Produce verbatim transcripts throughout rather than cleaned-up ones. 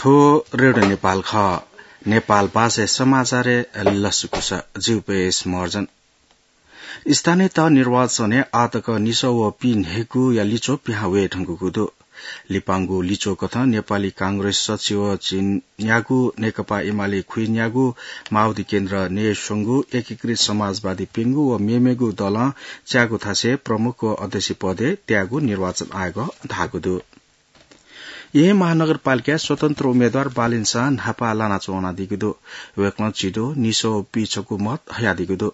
थ्व रेडियो नेपाल खः। नेपाल भाषाय् समाचारय् लसकुस। जि उपेश महर्जन। स्थानीय तह निर्वाचनय् आःतक निसः व पीन्हय्‌गूया लिच्वः पिहां वये धुंकूगु दु। लिपांगु लिच्वः कथं नेपाली कांग्रेस सच्छि व झिंन्यागू, नेकपा एमाले खुइन्यागू, माओवादी केन्द्र न्हय्‌स्वंगू, एकीकृत समाजवादी प्यंगू व मेमेगु दलं च्यागू थासय् प्रमुख व अध्यक्ष पदय् त्याःगु निर्वाचन आयोगं धाःगु दु। येँ महानगरपालिकाय् स्वतन्त्र उम्मेद्वार बालेन शाह न्हापा लानाच्वनादीगु दु। वय्‌कलं झिद्वः निसः व पीछकू मत हयादीगु दु।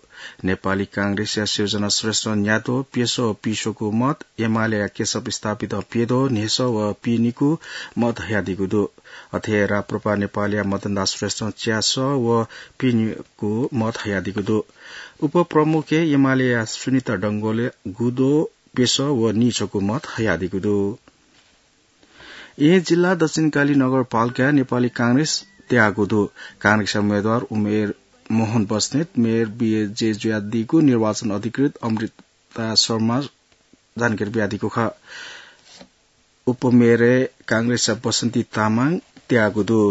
नेपाली कांग्रेसया सिर्जना श्रेष्ठ न्याद्वः प्यसः व पीस्वकू मत, एमालेया केशव स्थापितं प्यद्वः न्हय्‌सः व पीनिकू मत हयादीगु दु। अथे राप्रपा नेपालया मदनदास श्रेष्ठं च्यासः व पीनिकू मत हयादीगु दु। उपप्रमुखय् एमालेया सुनिता डंगोलया गुद्वः प्यसः व नीछकू मत हयादीगु दु। येँ जिल्ला दक्षिणकाली नगरपालिकाय् नेपाली कांग्रेस त्याःगु दु। कांग्रेसया उम्मेद्वार उमेर मोहन बस्नेत मेयर बिएजे जुयादीगु निर्वाचन अधिकृत अमृता शर्मां जानकारी बियादीगु खः। उपमेयरय् कांग्रेसया बसन्ती तामाङ त्याःगु दु।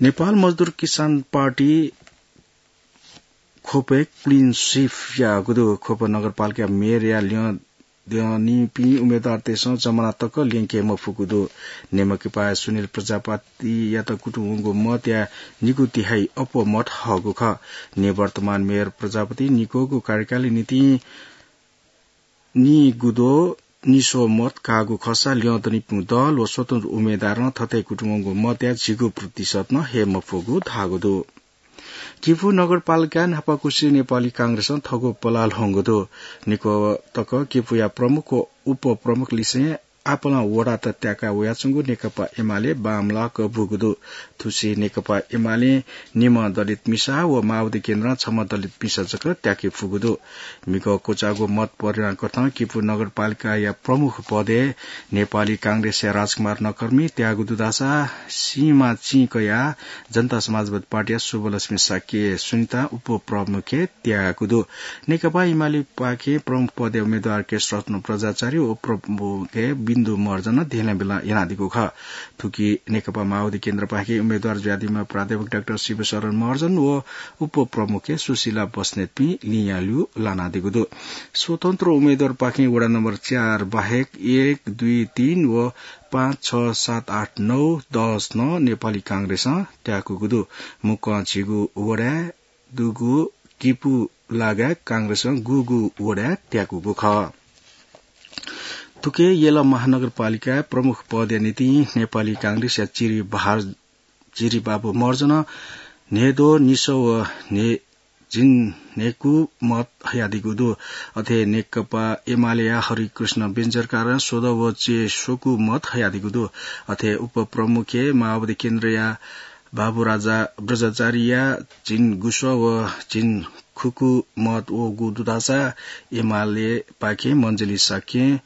नेपाल मजदुर किसान पार्टी ख्वपय् clean sweep याःगु दु। ख्वप नगरपालिका मेयरया ल्यं द्यनीपिं उम्मेद्वारतय्‌सं जमना तक ल्यंके मफुगु दु। नेमकिपाया सुनिल प्रजापतियात कुतुं वंगु मतया निगू तिहाइ अप्वः मत हःगु खः। निवर्तमान मेयर प्रजापति निक्वःगु कार्यकालया निंतिं नीगुद्वः निस्वः मत काःगु खःसा ल्यं दनीपिं दल व स्वतन्त्र उम्मेद्वारं थथे कुतुं वंगु मतया झिगू प्रतिशत नं हये मफुगु धाःगु दु। किपू नगरपालिकाय् न्हापाकुसे नेपाली कांग्रेसं थःगु पलाः ल्ह्वंगु दु। निक्वः तक किपूया प्रमुख व उपप्रमुख लिसें आपालं वडात त्याका वयाच्वंगु नेकपा एमाले बांमलाक बूगु दु। थुसे नेकपा एमालें निम्ह दलित मिसा व माओवादी केन्द्रं छम्ह दलित मिसा जक त्याके फुगु दु। म्हिगः क्वचाःगु मत परिणाम कथं किपू नगरपालिकाया प्रमुख पदय् नेपाली कांग्रेसया राजकुमार नकर्मी त्याःगु दु धाःसा सीमा चिं कयाः जनता समाजवादी पार्टीया शुभलक्ष्मी शाक्य सुनिता उपप्रमुखय् त्याःगु दु। नेकपा एमालेपाखें प्रमुख पदय् उम्मेद्वार केशरत्न प्रजाचार्य व उपप्रमुखय् बिन्दु महर्जन धेंलाबेला यानादीगु खः। थुकी नेकपा माओवादी केन्द्रपाखें उम्मेद्वार जुयादीम्ह प्राध्यापक डाक्टर शिवशरण महर्जन व उपप्रमुखय् सुशीला बस्नेतपिं लिंयाल्यू लानादीगु दु। स्वतन्त्र उम्मेद्वारपाखें वडा नम्बर चार बाहेक एक, दुई, तीन व पाँच, छ, सात, आठ, नौ, दस नं नेपाली कांग्रेसं त्याकूगु दु। मुक्कं झिगू वडाय् दुगु किपू लागाय् कांग्रेसं गुगू वडाय् त्याकूगु खः। थुकी यल महानगरपालिकाय् प्रमुख पदया निंतिं नेपाली कांग्रेसया चिरी बहार, चिरी बाबु महर्जनं न्हय्द्वः निस्वः व न्हय्, झिंन्हय्कू मत हयादीगु दु। अथे नेकपा एमालेया हरिकृष्ण बेन्जरकारं स्वद्वः व च्यय्स्वकू मत हयादीगु दु। अथे उपप्रमुखय् माओवादी केन्द्रया बाबुराजा बज्राचार्यया झिंगुस्वः व झिंखुकू मत वःगु दु धाःसा एमालेपाखें मञ्जुली शाक्यं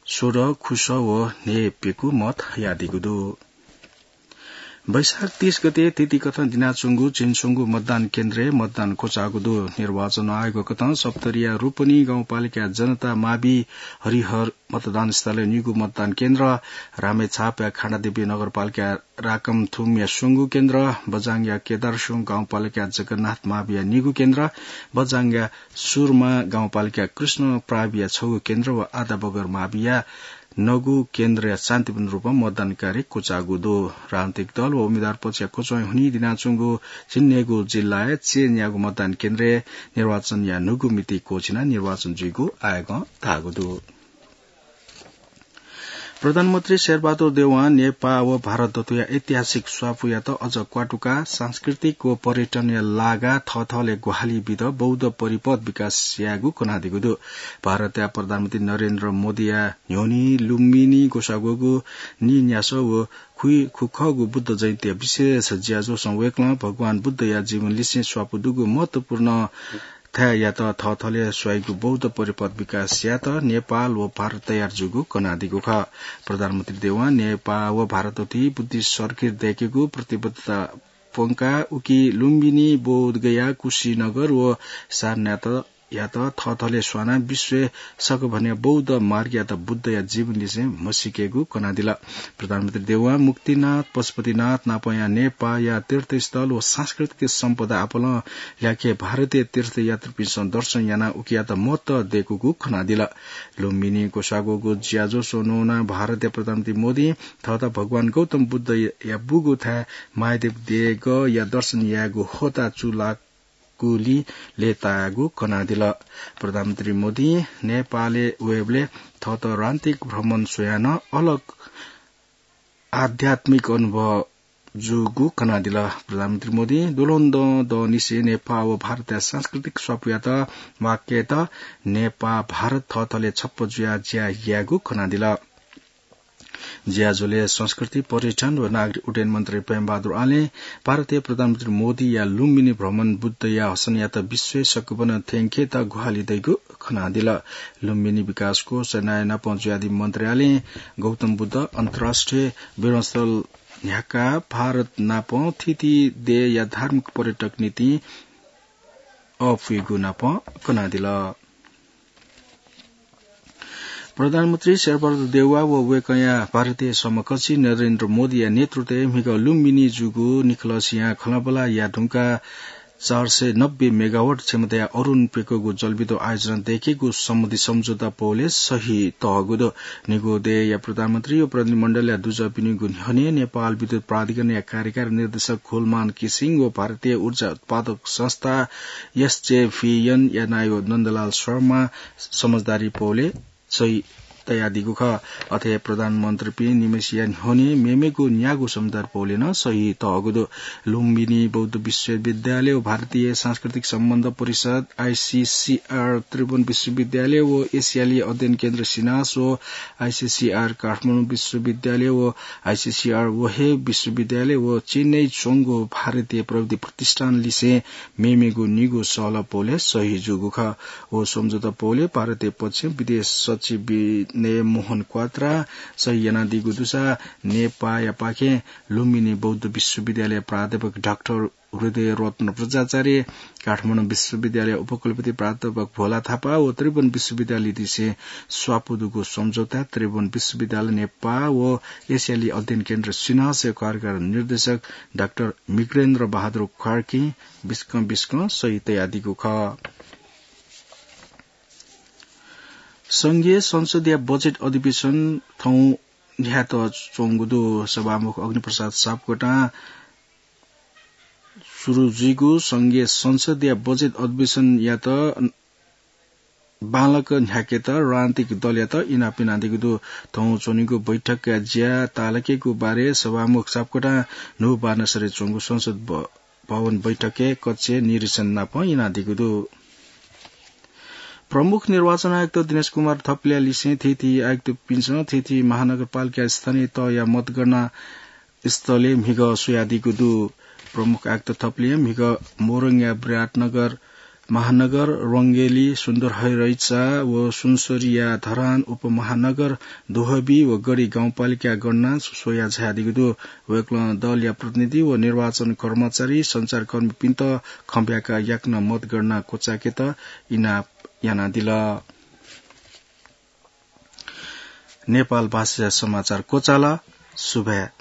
स्वद्वः, खुस्वः व न्हय्प्यकू मत हयादीगु दु। वैशाख तीस गते तिथिकथं दिनाच्वंगु झिंस्वंगू मतदान केन्द्रय् मतदान क्वचाःगु दु। निर्वाचन आयोगकथं सप्तरीया रूपनी गाउँपालिकाया जनता मावि हरिहर मतदान स्थलय् निगू मतदान केन्द्र, रामेछापया खाण्डादेवी नगरपालिकाया राकमथुमया स्वंगू केन्द्र, बझाङया केदारस्यों गाउँपालिकाया जगन्नाथ माविया निगू केन्द्र, बझाङया सुरमा गाउँपालिकाया कृष्ण प्राविया छगू केन्द्र व आदाबगर माविया नगू केन्द्रय् शान्तिपूर्ण रूपं मतदान कार्य क्वचाःगु दु। राजनीतिक दल व उम्मेद्वार पक्षया क्वचाय् हुनिं दिनाच्वंगु झिंन्हय्गू जिल्लाय् च्यय्न्यागू मतदान केन्द्रय् निर्वाचनया न्हूगु मिति क्वःछिनाः निर्वाचन जुइगु आयोगं धाःगु दु। प्रधानमन्त्री शेरबहादुर देउवां नेपाः व भारत दथुया ऐतिहासिक स्वापूयात अझ क्वातुकाः सांस्कृतिक व पर्यटनया लागां थःथःले ग्वाहालि बीत बौद्ध परिपथ विकास यायेगु कनादीगु दु। भारतया प्रधानमन्त्री नरेन्द्र मोदीया न्ह्यःने लुम्बिनी ग्वसाः ग्वःगु नीन्यासः व खुइखुखःगु बुद्ध जयन्तीया विशेष ज्याझ्वलय् वय्कलं भगवान बुद्धया जीवन लिसें स्वापू दुगु महत्वपूर्ण थाय्‌यात थःथःले स्वाइगु बौद्ध परिपथ विकास यायेत नेपाल व भारत तयार जूगु कनादीगु खः। प्रधानमन्त्री देउवां नेपाः व भारत दथुइ बुद्धिस्ट सर्किट दयेकेगु प्रतिबद्धता प्वंकाः उकी लुम्बिनी, बोधगया, कुशीनगर व सारनाथ यात थःथले स्वानाः विश्वय् सकभन्या बौद्ध मार्गयात बुद्धया जीवनलिसें म्हसीकेगु कनादिल। प्रधानमन्त्री देउवां मुक्तिनाथ, पशुपतिनाथ नापंया नेपाःया तीर्थस्थल व सांस्कृतिक सम्पदा आपालं ल्याखे भारतीय तीर्थयात्रीपिन्सं दर्शन यानाः उकियात महत्व दय्कूगु कनादिल। लुम्बिनी क्वसाःग्वःगु ज्याझ्वः स्वन्हु वनाः भारतया प्रधानमन्त्री मोदीं थःत भगवान गौतम बुद्धया बूगु थाय् महादेव देगःया दर्शन यायेगु होता चूला गुलि लय्ताःगु कनादिल। प्रधानमन्त्री मोदीं नेपालय् वयेबलय् थःत रान्तिक भ्रमण स्वयाः नं अलग आध्यात्मिक अनुभव जूगु कनादिल। प्रधानमन्त्री मोदीं दुल्हन दँ दँनिसें नेपाः व भारतया सांस्कृतिक स्वापूयात वाक्यत नेपाः भारत थःथले छप्प जुयाः ज्या यायेगु कनादिल। ज्याझ्वलय् संस्कृति, पर्यटन व नागरिक उड्डयन मन्त्री प्रेमबहादुर आलें भारतया प्रधानमन्त्री मोदीया लुम्बिनी भ्रमण बुद्धया हसनयात विश्वय् सकभनं थ्यंकेत ग्वाहालि दइगु कनादिल। लुम्बिनी विकास कोष नायः नाप जुयादी मन्त्री आलें गौतम बुद्ध अन्तर्राष्ट्रिय विमानस्थल न्ह्याकाः भारत नाप थीथी देय्या धार्मिक पर्यटक निंतिं अःपुइगु नाप कनादिल। प्रधानमन्त्री शेरबहादुर देउवा व वय्कःया भारतीय समकक्षी नरेन्द्र मोदीया नेतृत्वय् म्हिगः लुम्बिनी जूगु निखलसिया खँल्हाबल्हा याये धुंकाः चार सय नब्बे मेगावाट क्षमताया अरुण प्यकूगु जलविद्युत आयोजना दयेकेगु सम्बन्धी सम्झौता पौलय् सही तःगु दु। निगू देय्या प्रधानमन्त्री व प्रतिनिधिमण्डलया दुजःपिनिगु न्ह्यःने नेपाल विद्युत प्राधिकरणया कार्यकारी निर्देशक खुलमान किसिङ व भारतीय ऊर्जा उत्पादक संस्था एसजेभिएनया नायः नन्दलाल शर्मा समझदारी पौलय् सही तयादीगु खः। अथे प्रधानमन्त्रीपिं निम्हसिया न्ह्यःने मेमेगु न्यागू सम्झदार पौलय् नं सही तःगु दु। लुम्बिनी बौद्ध विश्वविद्यालय व भारतीय सांस्कृतिक सम्बन्ध परिषद, आइसिसिआर, त्रिभुवन विश्वविद्यालय व एसियाली अध्ययन केन्द्र सिनास व आइसिसिआर काठमाडौं विश्वविद्यालय व आइसिसिआर वहे विश्वविद्यालय व चेन्नई च्वंगु भारतीय प्रविधि प्रतिष्ठान लिसें मेमेगु निगू सहलह पौलय् सही जूगु खः। व सम्झौता पौलय् भारतीय पक्षं विदेश सचिव विनय मोहन क्वात्रा सही यानादीगु दुसा नेपाःयापाखें लुम्बिनी बौद्ध विश्वविद्यालय प्राध्यापक डाक्टर हृदय रत्न बज्राचार्य, काठमाडौं विश्वविद्यालय उपकुलपति प्राध्यापक भोला थापा व त्रिभुवन विश्वविद्यालयलिसें स्वापू दुगु सम्झौता त्रिभुवन विश्वविद्यालय नेपाः व एसियाली अध्ययन केन्द्र सिनासया कार्यकारी निर्देशक डाक्टर मिग्रेन्द्र बहादुर कार्कीं बिस्कं बिस्कं सही तयादीगु खः। संघीय संसदया बजेट अधिवेशन थौं न्ह्यात च्वंगु दु। सभामुख अग्निप्रसाद सापकोटां सुरु जुइगु संघीय संसदया बजेट अधिवेशनयात बांलाक न्ह्याकेत राजनीतिक दलयात इनाप यानादीगु दु। थौं च्वनीगु बैठकया ज्या ताःलाकेगु बारे सभामुख सापकोटां न्हू बान्हसरे च्वंगु संसद भ-, भवन बैठकय् कक्षय् निरीक्षण नाप यानादीगु दु। प्रमुख निर्वाचन आयुक्त दिनेश कुमार थपलिया लिसें थीथी आयुक्तपिन्सं थीथी महानगरपालिका स्थानीय तहया मतगणना स्थलय् म्हिगः स्वयादीगु दु। प्रमुख आयुक्त थपलियां म्हिगः मोरङया विराटनगर महानगर, रंगेली, सुन्दरहरैचा व सुनसरीया धरान उपमहानगर, दोहबी व गढी गाउँपालिका गणना स्वया झायादीगु दु। वय्कलं दलया प्रतिनिधि व निर्वाचन कर्मचारी, सञ्चारकर्मीपिन्त खँ ब्याकाः याकनं मतगणना क्वचायेकेत इनाप यानादिल। नेपाल भाषाया समाचार क्वचाल। सुभाय्।